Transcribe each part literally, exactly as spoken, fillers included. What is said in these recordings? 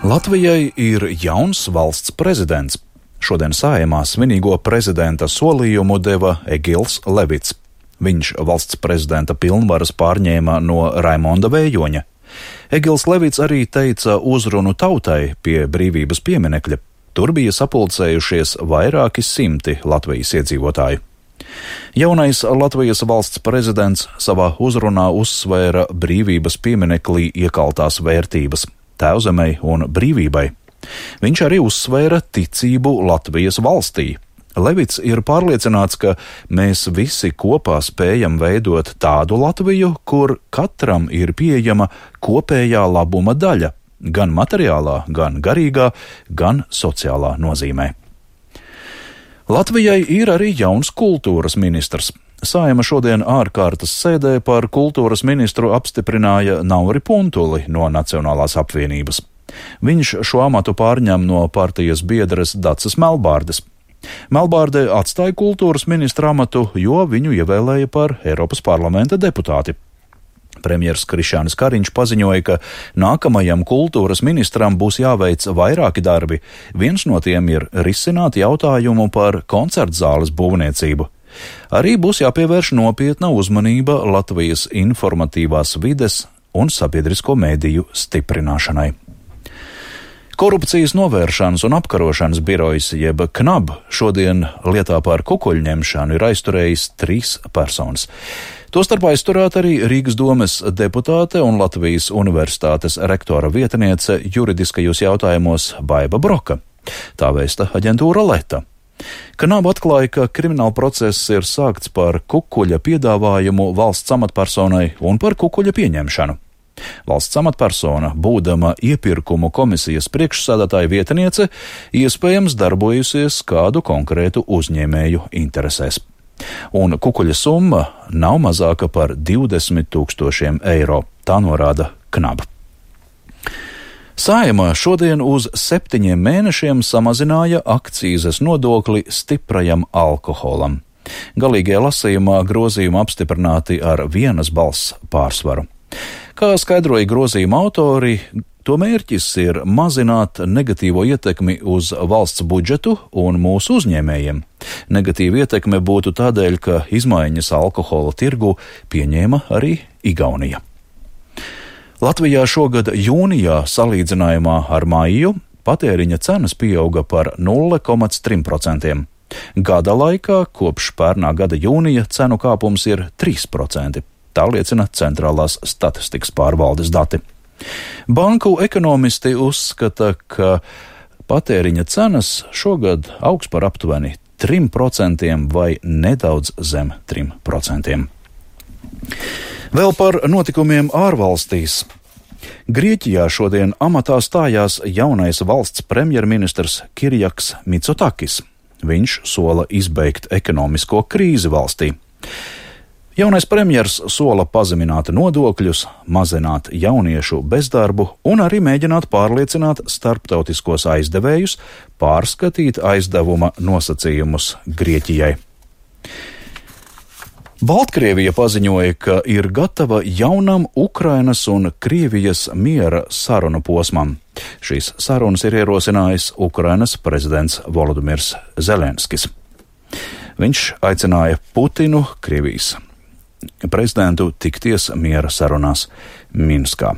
Latvijai ir jauns valsts prezidents. Šodien Saeimā svinīgo prezidenta solījumu deva Egils Levits. Viņš valsts prezidenta pilnvaras pārņēma no Raimonda Vējoņa. Egils Levits arī teica uzrunu tautai pie brīvības pieminekļa. Tur bija sapulcējušies vairāki simti Latvijas iedzīvotāju. Jaunais Latvijas valsts prezidents savā uzrunā uzsvēra brīvības pieminekļī iekaltās vērtības – Tēvzemei un brīvībai. Viņš arī uzsvēra ticību Latvijas valstī. Levits ir pārliecināts, ka mēs visi kopā spējam veidot tādu Latviju, kur katram ir pieejama kopējā labuma daļa, gan materiālā, gan garīgā, gan sociālā nozīmē. Latvijai ir arī jauns kultūras ministrs. Saeima šodien ārkārtas sēdē par kultūras ministru apstiprināja Nauri Puntuli no Nacionālās apvienības. Viņš šo amatu pārņem no partijas biedres Dacas Melbārdes. Melbārde atstāja kultūras ministra amatu, jo viņu ievēlēja par Eiropas parlamenta deputāti. Premjers Krišjānis Kariņš paziņoja, ka nākamajam kultūras ministram būs jāveic vairāki darbi. Viens no tiem ir risināt jautājumu par koncertzāles būvniecību. Arī būs jāpievērš nopietna uzmanība Latvijas informatīvās vides un sabiedrisko mēdīju stiprināšanai. Korupcijas novēršanas un apkarošanas birojas jeb KNAB šodien lietā par kukuļņemšanu ir aizturējis trīs personas. Tostarp aizturēta arī Rīgas domes deputāte un Latvijas universitātes rektora vietniece juridiskajos jautājumos Baiba Broka. Tā vēsta aģentūra Leta. KNAB atklāja, ka krimināla process ir sākts par kukuļa piedāvājumu valsts amatpersonai un par kukuļa pieņemšanu. Valsts amatpersona, būdama iepirkumu komisijas priekšsēdētāja vietniece, iespējams darbojusies kādu konkrētu uzņēmēju interesēs. Un kukuļa summa nav mazāka par divdesmit tūkstošiem eiro, tā norāda KNAB. Saeima šodien uz septiņiem mēnešiem samazināja akcīzes nodokli stiprajam alkoholam. Galīgajā lasījumā grozījumi apstiprināti ar vienas balss pārsvaru. Kā skaidroja grozījuma autori, to mērķis ir mazināt negatīvo ietekmi uz valsts budžetu un mūsu uzņēmējiem. Negatīva ietekme būtu tādēļ, ka izmaiņas alkohola tirgu pieņēma arī Igaunija. Latvijā šogad jūnijā salīdzinājumā ar maiju patēriņa cenas pieauga par nulle komats trīs procenti. Gada laikā kopš pērnā gada jūnija cenu kāpums ir trīs procenti. Tā liecina Centrālās statistikas pārvaldes dati. Banku ekonomisti uzskata, ka patēriņa cenas šogad augs par aptuveni trim procentiem vai nedaudz zem trim procentiem. Vēl par notikumiem ārvalstīs. Grieķijā šodien amatā stājās jaunais valsts premjerministrs Kirjaks Mitsotakis. Viņš sola izbeigt ekonomisko krīzi valstī. Jaunais premjers sola pazemināt nodokļus, mazināt jauniešu bezdarbu un arī mēģināt pārliecināt starptautiskos aizdevējus pārskatīt aizdevuma nosacījumus Grieķijai. Baltkrievija paziņoja, ka ir gatava jaunam Ukrainas un Krievijas miera sarunu posmam. Šīs sarunas ir ierosinājis Ukrainas prezidents Volodimirs Zelenskis. Viņš aicināja Putinu, Krievijas prezidentu, tikties miera sarunās Minskā.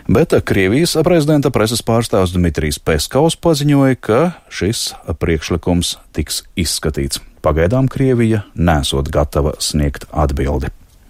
Bet Krievijas prezidenta preses pārstāvs Dmitrijs Peskovs paziņoja, ka šis priekšlikums tiks izskatīts. Pagaidām Krievija nesot gatava sniegt atbildi.